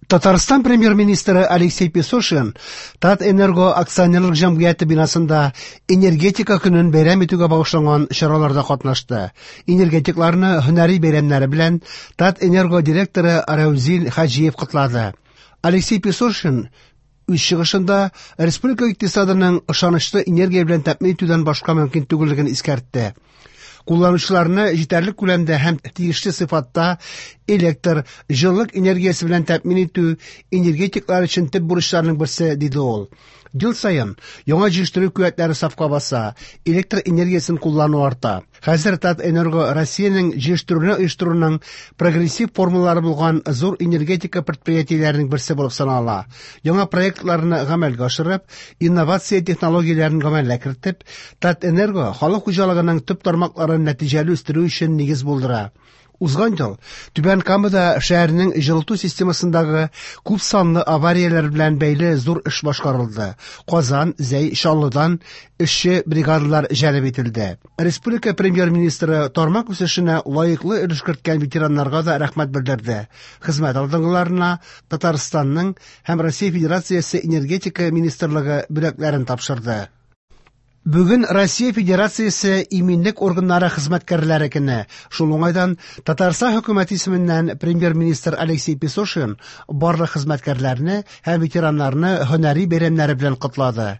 Татарстан премьер-министры Алексей Песошин Татэнерго акционерлык җәмгыяте бинасында энергетика көнен бәйрәм итүгә багышланган чараларда катнашты. Энергетикларны һөнәри бәйрәмнәре белән Татэнерго директоры Рәүзил Хаҗиев котлады. Алексей Песошин үз чыгышында республика икътисадының ышанычлы энергия белән тәэмин итүдән башка мөмкин түгеллеген искәртте. Кулланучыларны җитәрлек күләмдә һәм тиешле сыйфатта электр, җылылык энергиясе белән тәэмин итү энергетиклар өчен төп бурычларның берсе, диде ул. Ел саен яңа җитештерү куәтләре сафка баса, электр энергиясен куллану арта. Хәзер Татэнерго Россиянең җитештерүне оештыруның прогрессив формалары булган зур энергетика предприятиеләренең берсе булып санала. Яңа проектларны гамәлгә ашырып, инновация технологияләрен гамәлгә кертеп, Татэнерго халык хуҗалыгының төп тармакларын нәтиҗәле үстерү өчен нигез булдыра. Узган ел Түбән Камада шәһәрнең җылыту системасындагы күп санлы аварияләр белән бәйле зур эш башкарылды. Казан, Зәй, Чаллыдан эшче бригадалар җәлеп ителде. Республика премьер-министры тармак үсешенә лаеклы өлеш керткән ветераннарга да рәхмәт белдерде. Хезмәт алдынгыларына Татарстанның һәм Россия Федерациясе энергетика министрлыгы бүләкләрен тапшырды. Бүген Россия Федерациясе иминлек органнары хезмәткәрләре көне. Шул уңайдан Татарстан хөкүмәте исеменнән премьер-министр Алексей Песошин барлык хезмәткәрләрне һәм ветераннарны һөнәри бәйрәмнәре белән котлады.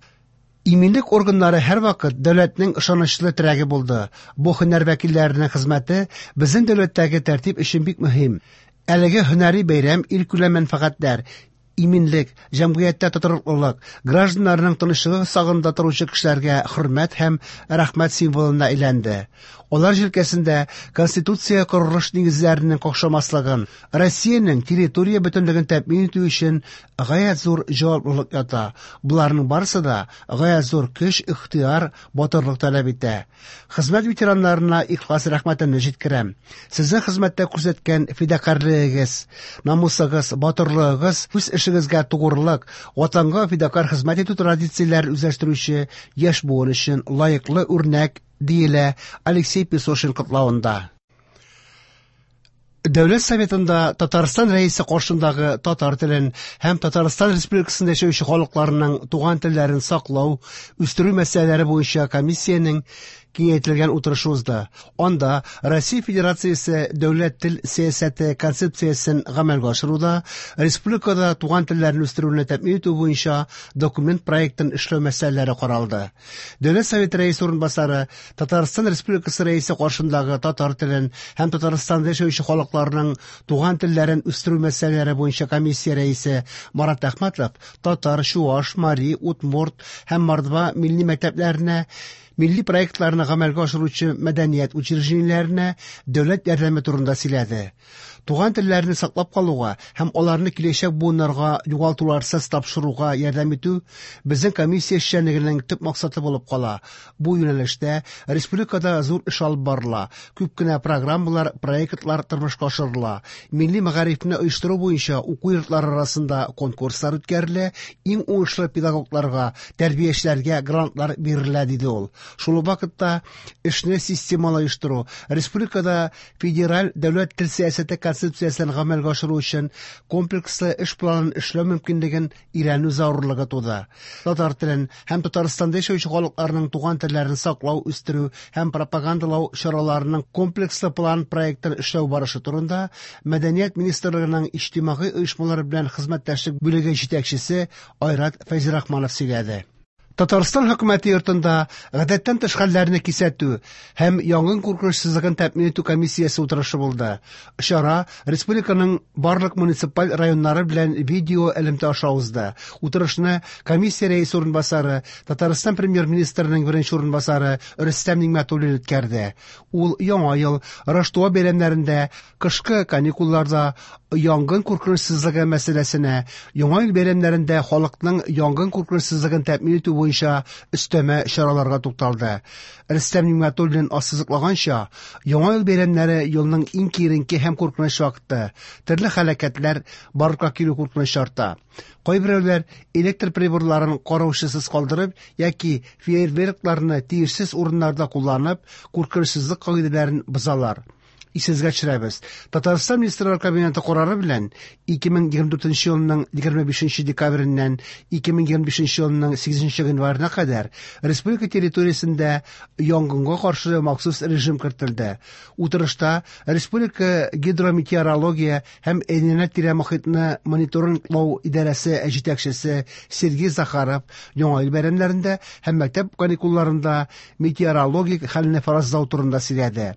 Иминлек органнары һәрвакыт дәүләтнең ышанычлы терәге булды. Бу һөнәр вәкилләренең хезмәте безнең дәүләттәге тәртип өчен бик мөһим. Әлеге һөнәри бәйрәм илкүләм мәнфәгатьләр, иминлек, җәмгыятьтә тотрыклылык, гражданнарның тынычлыгы сагында торучы кешеләргә хөрмәт һәм рәхмәт символына әйләнде. Алар җилкәсендә Конституция корылыш нигезләренең какшамаслыгын, Россиянең территория бөтенлеген тәэмин итү өчен гаять зур җаваплылык ята. Боларның барысы да гаять зур көч, ихтыяр, батырлык таләп итә. Хезмәт ветераннарына ихлас рәхмәтемне җиткерәм. Сезнең хезмәттә күрсәткән фидакарьлегегез, намусыгыз, батырлыгыгыз, үз эшегезгә тугрылык, ватанга фидакарь хезмәт итү традицияләрен үзләштерүче яшь буын өчен лаеклы үрнәк, диелә Алексей Песошин котлавында. Дәүләт Советында Татарстан Рәисе каршындагы татар телен һәм Татарстан Республикасында яшәүче халыкларының туган телләрен саклау, үстерү мәсьәләләре буенча комиссиянең киңәйтелгән утырышы узды. Анда Россия Федерациясе дәүләт тел сәясәте концепциясен гамәлгә ашыруда республикада туган телләрне үстерүне тәэмин итү буенча документ проектын эшләү мәсьәләләре каралды. Дәүләт Советы рәисе урынбасары Татарстан Республикасы рәисе каршындагы татар телен һәм Татарстанда яшәүче халыкларның туган телләрен үстерү мәсьәләләре буенча комиссия рәисе Марат Әхмәтов татар, чуаш, мари, удмурт һәм мордва милли мәктәпләренә милли проектларны гамәлгә ашыручы мәдәният учреждениеләренә дәүләт ярдәме турында сөйләде. Туган телләрне саклап калуга һәм аларны киләчәк буыннарга югалтуларсыз тапшыруга ярдәм итү безнең комиссия эшчәнлегенең төп максаты булып кала. Бу юнәлештә республикада зур эш алып барыла, күп кенә программалар, проектлар тормышка ашырыла. Милли мәгарифне оештыру буенча уку йортлары арасында конкурслар үткәрелә, иң уңышлы педагогларга, тәрбиячеләргә грантлар бирелә, диде ул. Шул ук вакытта эшне системалы оештыру, республикада федераль дәүләт тел сәясәте концепциясен гамәлгә ашыру өчен комплекслы эш планын эшләү мөмкинлеген өйрәнү зарурлыгы туды. Татар телен һәм Татарстанда яшәүче халыкларның туган телләрен саклау, үстерү һәм пропагандалау чараларының комплекслы план проектын эшләү барышы турында Мәдәният министрлыгының иҗтимагый оешмалар белән хезмәттәшлек бүлеге җитәкчесе Айрат Фәйзрахманов сөйләде. Татарстан хөкүмәте йортында гадәттән тыш хәлләрне кисәтү һәм янгын куркынычсызлыгын тәэмин итү комиссиясе утырышы булды. Чара республиканың барлык муниципаль районнары белән видео элемтә аша узды. Утырышны комиссия рәисе урынбасары, Татарстан премьер-министрының беренче урынбасары Рөстәм Нигъмәтуллин үткәрде. Ул Яңа ел, Раштуа бәйрәмнәрендә, кышкы каникулларда янгын куркынычсызлыгы мәсьәләсенә, Яңа ел бәйрәмнәрендә халыкның янгын куркынычсызлыгын тәэмин итү буенча өстәмә чараларга тукталды. Рөстәм Нигъмәтуллин ассызыклаганча, Яңа ел бәйрәмнәре елның иң киеренке һәм куркыныч вакыты. Төрле һәлакәтләр барлыкка килү куркынычы арта. Кайберәүләр электр приборларын караучысыз калдырып яки фейерверкларны тиешсез урыннарда кулланып, куркынычсызлык кагыйдәләрен бозалар. Исегезгә төшерәбез, Татарстан Министрлар Кабинеты карары белән 2024 елның 25 декабреннән 2025 елның 8 гыйнварына кадәр республика территориясендә янгынга каршы махсус режим кертелде. Утырышта республика гидрометеорология һәм әйләнә-тирә мохитне мониторинглау идарәсе җитәкчесе Сергей Захаров Яңа ел бәйрәмнәрендә һәм мәктәп каникулларында метеорологик хәлне фаразлау турында сөйләде.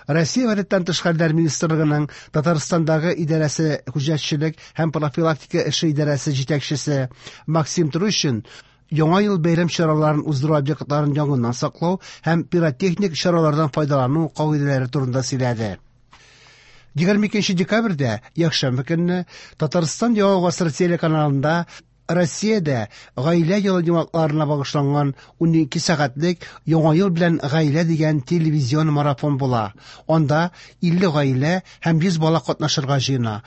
Россия Гадәттән тыш хәлләр министрлыгының Татарстандагы идарәсе күзәтчелек һәм профилактика эше идарәсе җитәкчесе Максим Трущин Яңа ел бәйрәм чараларын уздыру объектларын янгыннан саклау һәм пиротехник чаралардан файдалану кагыйдәләре турында сөйләде. 22 декабрьдә, якшәмбе көнне, Татарстан Яңа гасыр телеканалында Россиядә Гаилә елы йомгакларына багышланган 12 сәгатьлек Яңа ел белән гаилә дигән телевизион марафон була. Анда 50 гаилә һәм 100 бала катнашырга җыена.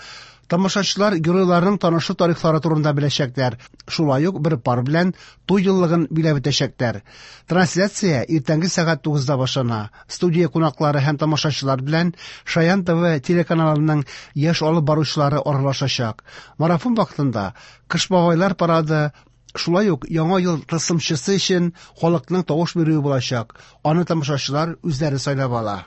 Тамашачылар геройларның танышу тарихлары турында беләчәкләр, шулай ук бер пар белән туй еллыгын биләп үтәчәкләр. Трансляция иртәнге сәгать 9-да башлана. Студия кунаклары һәм тамашачылар белән Шаян ТВ телеканалының яшь алып баручылары аралашачак. Марафон вакытында Кыш бабайлар парады, шулай ук Яңа ел тылсымчысы өчен халыкның тавыш бирүе булачак. Аны тамашачылар үзләре сайлап ала.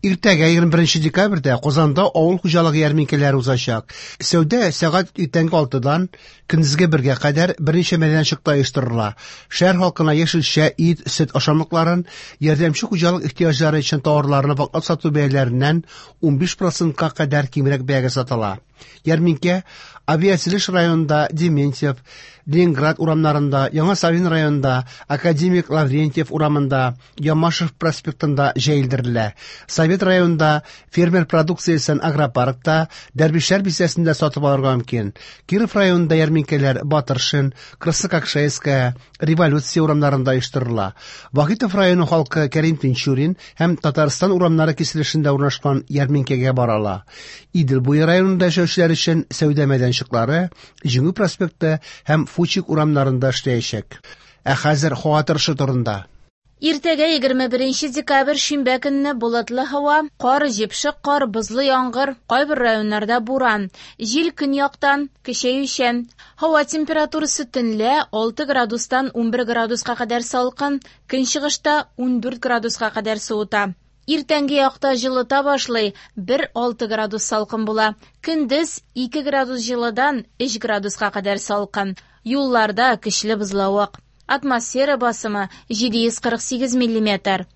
Иртәгә, 21 декабрьдә, Казанда авыл хуҗалыгы ярминкәләре узачак. Сәүдә сәгать иртәнге алтыдан көндезге бергә кадәр берничә мәйданчыкта оештырыла. Шәһәр халкына яшелчә, ит, сөт ашамлыкларын, ярдәмче хуҗалык ихтыяҗлары өчен товарларны ваклап сату бәяләреннән 15 процентка кадәр кимрәк бәягә сатыла. Ярминкә Авиатөзелеш районында Дементьев, Ленинград урамнарында, Яңа Савин районында Академик Лаврентьев урамында, Ямашев проспектында җәелдерелә. Совет районында фермер продукциясен агропаркта, Дәрвишләр бистәсендә сатып алырга мөмкин. Киров районында ярминкәләр Батыршин, Краснококшайская, Революция урамнарында оештырыла. Вахитов районы халкы Кәрим Тинчурин һәм Татарстан урамнары киселешендә урнашкан ярминкәгә бара ала. Идел буе районында яшәүчеләр өчен сәүдә мәйданчыклары Җиңү проспекты һәм Фучик урамнарында эшләячәк. Ә хәзер һава торышы турында. Иртәгә 21 декабрь шимбә көнне болытлы һава, кар, җепшек кар, бозлы яңгыр, кайбер районнарда буран. Җил көньяктан, көчәючән. Һава температурасы төнлә 6 градустан 11 градуска кадәр салкын, көнчыгышта 14 градуска кадәр суыта. Иртәнге якта җылыта башлый, 1-6 градус салкын була. Көндез 2 градус җылыдан 3 градуска кадәр салкын. Юлларда көчле бозлавык. Атмосфера басымы 748 миллиметр.